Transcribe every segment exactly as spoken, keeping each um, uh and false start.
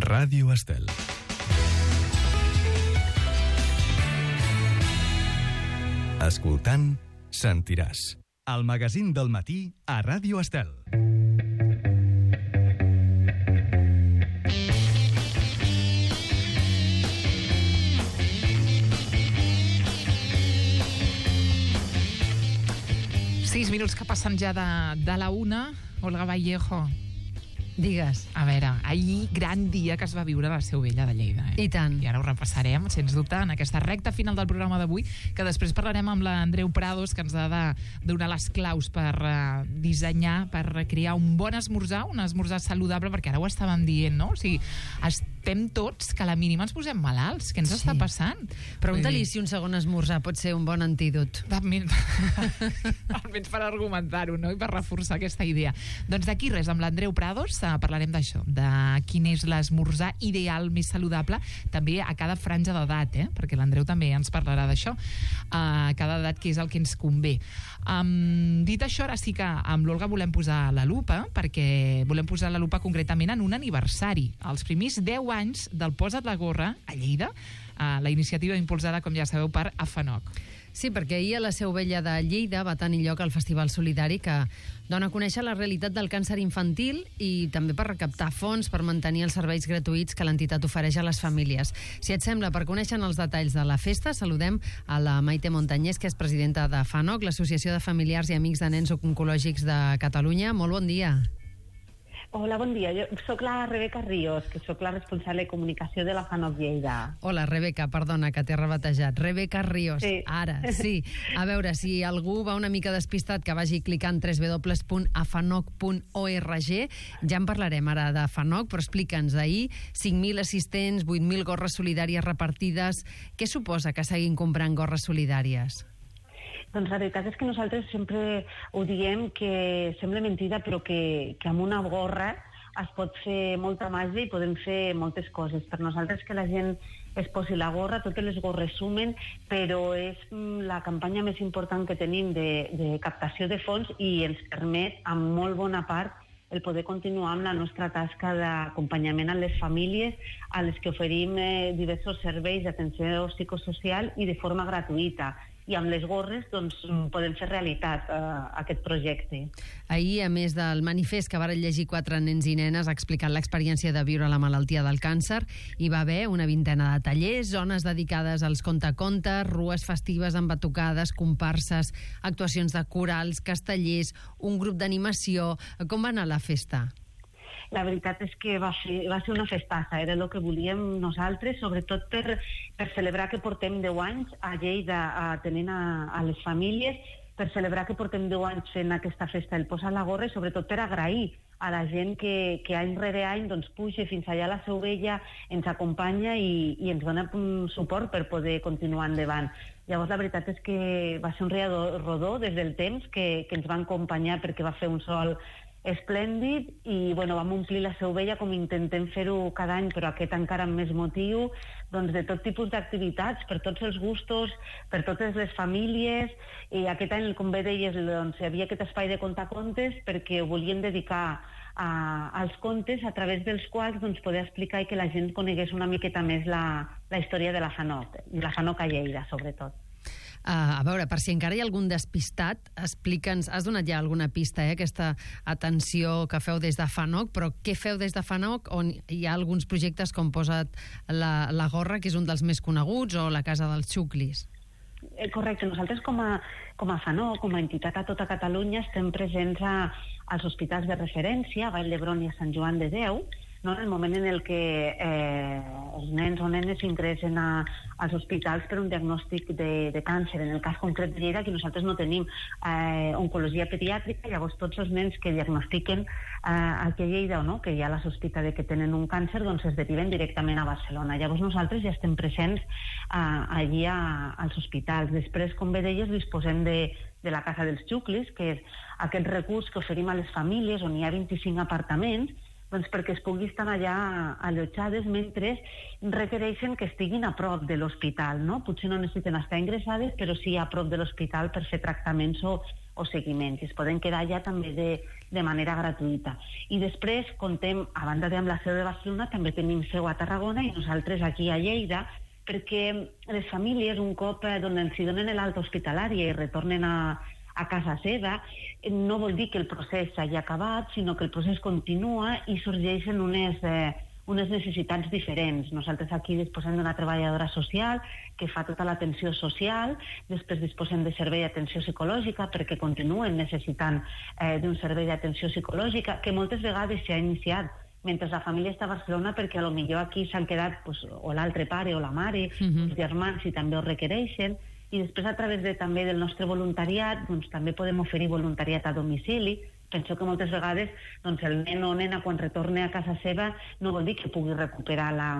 Ràdio Estel. Escoltant, sentiràs. El magazín del matí a Ràdio Estel. Sis minuts que passen ja de, de la una. Olga Vallejo. Digues. A veure, ahir gran dia que es va viure a la Seu Vella de Lleida. Eh? I tant. I ara ho repassarem, sens dubte, en aquesta recta final del programa d'avui, que després parlarem amb l'Andreu Prados, que ens ha de donar les claus per uh, dissenyar, per crear un bon esmorzar, un esmorzar saludable, perquè ara ho estàvem dient, no? O sigui, estem tots que a la mínima ens posem malalts. Què ens sí. està passant? Pregunta-li si un segon esmorzar pot ser un bon antídot. Almenys, almenys per argumentar-ho, no? I per reforçar aquesta idea. Doncs d'aquí res, amb l'Andreu Prados parlarem d'això, de quin és l'esmorzar ideal més saludable, també a cada franja d'edat, eh? Perquè l'Andreu també ens parlarà d'això, a cada edat, que és el que ens convé. Um, dit això, ara sí que amb l'Olga volem posar la lupa, perquè volem posar la lupa concretament en un aniversari, els primers deu anys del Posa't la gorra a Lleida, uh, la iniciativa impulsada, com ja sabeu, per AFANOC. Sí, perquè ahir a la Seu Vella de Lleida va tenir lloc el Festival Solidari que dona a conèixer la realitat del càncer infantil i també per recaptar fons per mantenir els serveis gratuïts que l'entitat ofereix a les famílies. Si et sembla, per conèixer els detalls de la festa, saludem a la Maite Montañés, que és presidenta de FANOC, l'Associació de Familiars i Amics de Nens Oncològics de Catalunya. Molt bon dia. Hola, bon dia. Jo soc la Rebeca Ríos, que soc la responsable de comunicació de la FANOC Lleida. Hola, Rebeca, perdona, que t'he rebatejat. Rebeca Ríos, sí. Ara, sí. A veure, si algú va una mica despistat, que vagi clicant w w w punt afanoc punt org. Ja en parlarem ara de FANOC, però explica'ns, ahir cinc mil assistents, vuit mil gorres solidàries repartides. Què suposa que seguin comprant gorres solidàries? Doncs la veritat és que nosaltres sempre ho diem, que sembla mentida, però que, que amb una gorra es pot fer molta màgia i podem fer moltes coses. Per nosaltres que la gent es posi la gorra, totes les gorres sumen, però és la campanya més important que tenim de, de captació de fons i ens permet, amb molt bona part, el poder continuar amb la nostra tasca d'acompanyament a les famílies, a les que oferim eh, diversos serveis d'atenció psicosocial i de forma gratuïta. I amb les gorres doncs, podem fer realitat eh, aquest projecte. Ahir, a més del manifest que varen llegir quatre nens i nenes explicant l'experiència de viure la malaltia del càncer, hi va haver una vintena de tallers, zones dedicades als contacontes, rues festives amb batucades, comparses, actuacions de corals, castellers, un grup d'animació. Com va anar la festa? La veritat és que va ser, va ser una festassa, era el que volíem nosaltres, sobretot per, per celebrar que portem deu anys a Lleida atenent a, a les famílies, per celebrar que portem deu anys fent aquesta festa del Posa't la gorra i sobretot per agrair a la gent que, que any rere any doncs, puja fins allà a la Seu Vella, ens acompanya i, i ens dona un suport per poder continuar endavant. Llavors la veritat és que va ser un rodó des del temps que, que ens va acompanyar perquè va fer un sol esplèndid i bueno, vam omplir la Seu Vella com intentem fer-ho cada any, però aquest encara amb més motiu, doncs de tot tipus d'activitats, per tots els gustos, per totes les famílies, i aquest any, com bé deies, doncs, hi havia aquest espai de contacontes perquè ho volíem dedicar a, als contes a través dels quals doncs, poder explicar i que la gent conegués una miqueta més la, la història de la FANOC, la FANOC a Lleida, sobretot. Uh, a veure, per si encara hi ha algun despistat, explica'ns, has donat ja alguna pista, eh, aquesta atenció que feu des de FANOC, però què feu des de FANOC, on hi ha alguns projectes com Posa't la, la gorra, que és un dels més coneguts, o la Casa dels Xuclis? Eh, correcte, nosaltres com a, com a FANOC, com a entitat a tota Catalunya, estem presents a, als hospitals de referència, a Vall d'Hebron i a Sant Joan de Déu, no? En el moment en el que eh, els nens o nenes ingressen a, als hospitals per un diagnòstic de, de càncer. En el cas concret de Lleida, que nosaltres no tenim eh, oncologia pediàtrica, llavors tots els nens que diagnostiquen eh, aquí a Lleida o no, que ja la sospita de que tenen un càncer, doncs es deriven directament a Barcelona. Llavors nosaltres ja estem presents eh, allí a, als hospitals. Després, com bé deies, disposem de, de la Casa dels Xuclis, que és aquest recurs que oferim a les famílies on hi ha vint-i-cinc apartaments, doncs perquè es pugui estar allà allotjades mentre requereixen que estiguin a prop de l'hospital, no? Potser no necessiten estar ingressades, però sí a prop de l'hospital per fer tractaments o, o seguiment, i es poden quedar allà també de, de manera gratuïta. I després contem, a banda de amb la seu de Barcelona, també tenim seu a Tarragona i nosaltres aquí a Lleida, perquè les famílies, un cop eh, donen, si donen l'alta hospitalària i retornen a, a casa seva, no vol dir que el procés s'hagi acabat, sinó que el procés continua i sorgeixen unes, eh, unes necessitats diferents. Nosaltres aquí disposem d'una treballadora social que fa tota l'atenció social, després disposem de servei d'atenció psicològica perquè continuen necessitant eh, d'un servei d'atenció psicològica que moltes vegades s'ha iniciat mentre la família està a Barcelona, perquè a lo millor aquí s'han quedat pues, o l'altre pare o la mare, uh-huh. els germans, si també ho requereixen, i després a través de, també del nostre voluntariat doncs, també podem oferir voluntariat a domicili. Penso que moltes vegades doncs, el nen o nena quan retorna a casa seva no vol dir que pugui recuperar la,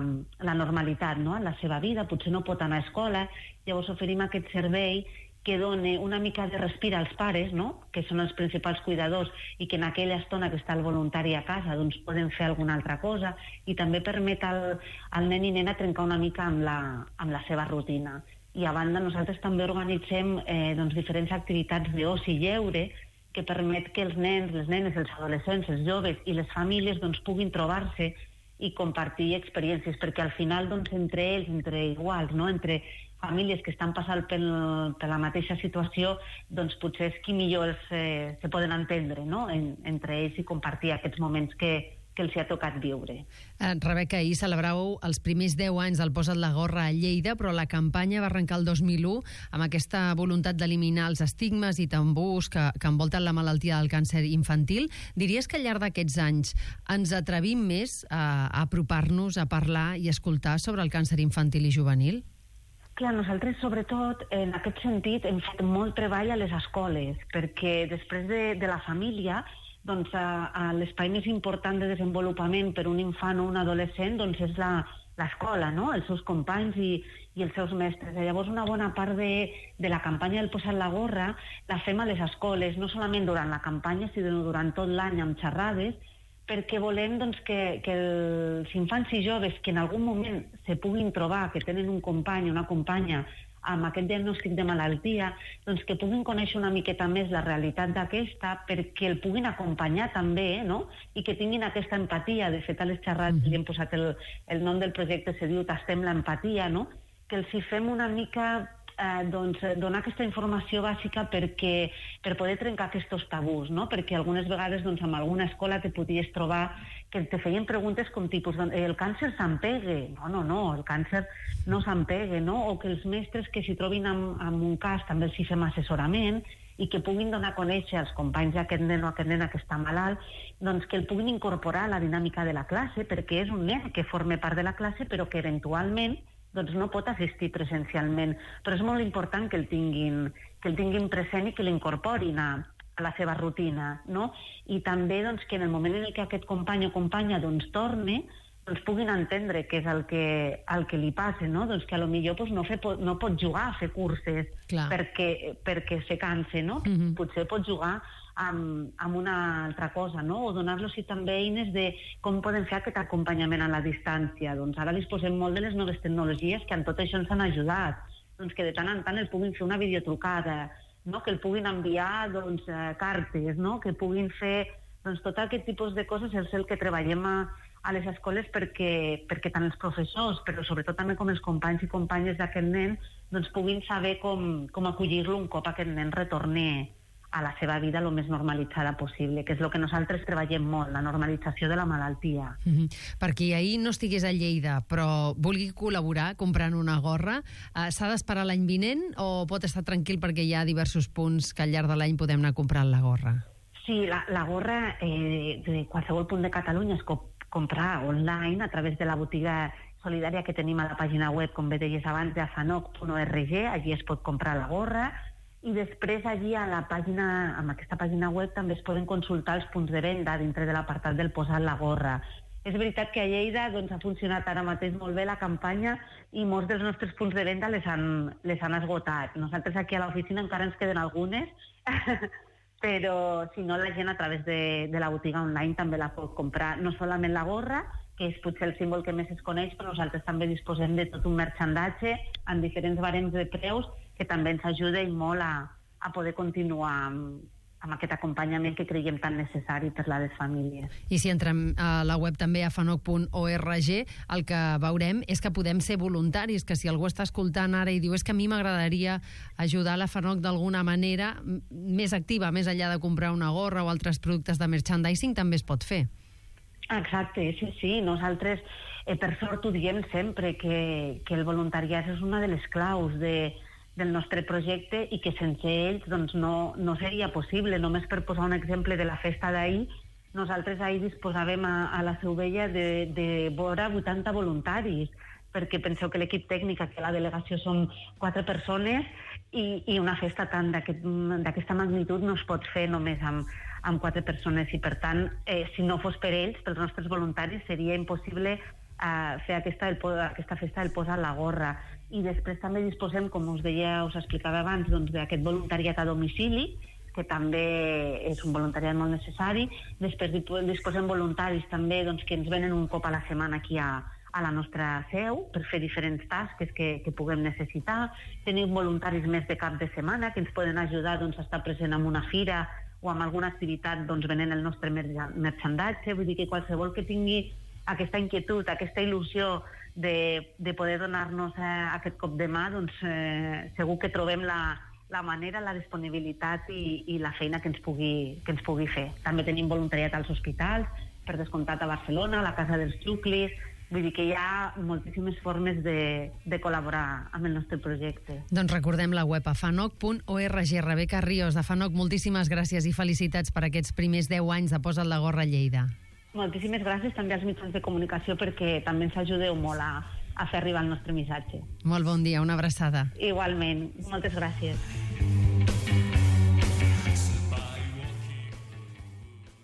la normalitat, no?, en la seva vida, potser no pot anar a escola, llavors oferim aquest servei que doni una mica de respir als pares, no?, que són els principals cuidadors, i que en aquella estona que està el voluntari a casa doncs poden fer alguna altra cosa, i també permet al, al nen i nena trencar una mica amb la, amb la seva rutina. I a banda nosaltres també organitzem eh, doncs, diferents activitats d'oci i lleure que permet que els nens, les nenes, els adolescents, els joves i les famílies doncs, puguin trobar-se i compartir experiències, perquè al final doncs, entre ells, entre iguals, no?, entre famílies que estan passant per, per la mateixa situació, doncs potser és qui millor els, eh, se poden entendre, no?, en, entre ells i compartir aquests moments que, que els hi ha tocat viure. Eh, Rebeca, ahir celebràveu els primers deu anys del Posa't la gorra a Lleida, però la campanya va arrencar el dos mil u amb aquesta voluntat d'eliminar els estigmes i tambús que, que envolten la malaltia del càncer infantil. Diries que al llarg d'aquests anys ens atrevim més a, a apropar-nos a parlar i escoltar sobre el càncer infantil i juvenil? Clar, nosaltres, sobretot, en aquest sentit, hem fet molt treball a les escoles, perquè després de, de la família, doncs, a, a l'espai més important de desenvolupament per un infant o un adolescent doncs és la, l'escola, no?, els seus companys i, i els seus mestres. I llavors, una bona part de, de la campanya del Posa't la gorra la fem a les escoles, no solament durant la campanya, sinó durant tot l'any amb xerrades, perquè volem doncs, que, que els infants i joves que en algun moment se puguin trobar, que tenen un company o una companya amb aquest diagnòstic de malaltia, doncs que puguin conèixer una miqueta més la realitat d'aquesta, perquè el puguin acompanyar també, no?, i que tinguin aquesta empatia. De fet, a les xerrades mm-hmm. li hem posat el, el nom del projecte, se diu Tastem l'empatia, no?, que els hi fem una mica Eh, doncs, donar aquesta informació bàsica perquè, per poder trencar aquests tabús, no? Perquè algunes vegades doncs, en alguna escola te podies trobar que te feien preguntes com tipus, el càncer s'empegue? No, no, no, el càncer no s'empegue, no? O que els mestres que s'hi trobin amb, amb un cas també els hi fem assessorament i que puguin donar a conèixer als companys d'aquest nen o aquest nena que està malalt, doncs que el puguin incorporar a la dinàmica de la classe, perquè és un nen que forma part de la classe però que eventualment doncs no pot assistir presencialment, però és molt important que el tinguin, que el tinguin present i que l'incorporin a, a la seva rutina, no? I també doncs, que en el moment en què aquest company o companya doncs, torne, doncs puguin entendre què és el que, el que li passa, no? Doncs que a lo millor doncs, no, fe, no pot jugar a fer curses perquè, perquè se canse, no? Mm-hmm. Potser pot jugar amb, amb una altra cosa, no? O donar-los també eines de com poden fer aquest acompanyament a la distància. Doncs ara disposem molt de les noves tecnologies que en tot això ens han ajudat. Doncs que de tant en tant el puguin fer una videotrucada, no? Que el puguin enviar doncs, eh, cartes, no? Que puguin fer doncs, tot aquest tipus de coses, és el que treballem a, a les escoles perquè, perquè tant els professors, però sobretot també com els companys i companyes d'aquest nen, doncs puguin saber com, com acollir-lo un cop aquest nen retorni a la seva vida el més normalitzada possible, que és el que nosaltres treballem molt, la normalització de la malaltia. Mm-hmm. Per qui ahir no estigués a Lleida, però vulgui col·laborar comprant una gorra, eh, s'ha d'esperar l'any vinent o pot estar tranquil perquè hi ha diversos punts que al llarg de l'any podem anar comprant la gorra? Sí, la, la gorra eh, de qualsevol punt de Catalunya es pot comprar online a través de la botiga solidària que tenim a la pàgina web, com bé deies abans, de afanoc punt org, allí es pot comprar la gorra. I després allí a la pàgina, amb aquesta pàgina web també es poden consultar els punts de venda dintre de l'apartat del Posa't la gorra. És veritat que a Lleida doncs, ha funcionat ara mateix molt bé la campanya i molts dels nostres punts de venda les han, les han esgotat. Nosaltres aquí a l'oficina encara ens queden algunes, però si no la gent a través de, de la botiga online també la pot comprar. No solament la gorra, que és potser el símbol que més es coneix, però nosaltres també disposem de tot un merchandatge en diferents barems de preus que també ens ajuda i molt a, a poder continuar amb, amb aquest acompanyament que creiem tan necessari per a les famílies. I si entrem a la web també a fanoc punt org, el que veurem és que podem ser voluntaris, que si algú està escoltant ara i diu és que a mi m'agradaria ajudar la FANOC d'alguna manera més activa, més enllà de comprar una gorra o altres productes de merchandising, també es pot fer. Exacte, sí, sí. Nosaltres, eh, per sort, ho diem sempre, que, que el voluntariat és una de les claus de del nostre projecte i que sense ells doncs, no, no seria possible. Només per posar un exemple de la festa d'ahir, nosaltres ahir disposàvem a, a la Seu Vella de, de vora vuitanta voluntaris, perquè penseu que l'equip tècnic, que la delegació som quatre persones, i, i una festa tant d'aquesta magnitud no es pot fer només amb, amb quatre persones, i per tant, eh, si no fos per ells, pels nostres voluntaris, seria impossible eh, fer aquesta, el, aquesta festa del Posa la Gorra. I després també disposem, com us deia, us explicava abans, doncs, d'aquest voluntariat a domicili, que també és un voluntariat molt necessari. Després disposem voluntaris també doncs, que ens venen un cop a la setmana aquí a, a la nostra seu per fer diferents tasques que, que puguem necessitar. Tenim voluntaris més de cap de setmana que ens poden ajudar doncs, a estar present en una fira o en alguna activitat doncs, venent el nostre merchandatge. Vull dir que qualsevol que tingui aquesta inquietud, aquesta il·lusió de, de poder donar-nos eh, aquest cop de mà, doncs eh, segur que trobem la, la manera, la disponibilitat i, i la feina que ens, pugui, que ens pugui fer. També tenim voluntariat als hospitals, per descomptat a Barcelona, a la Casa dels Xuclis. Vull dir que hi ha moltíssimes formes de, de col·laborar amb el nostre projecte. Doncs recordem la web a fanoc punt org. Rebeca Ríos, de FANOC, moltíssimes gràcies i felicitats per aquests primers deu anys de Posa't la Gorra a Lleida. Moltíssimes gràcies també als mitjans de comunicació perquè també ens ajudeu molt a, a fer arribar el nostre missatge. Molt bon dia, una abraçada. Igualment, moltes gràcies.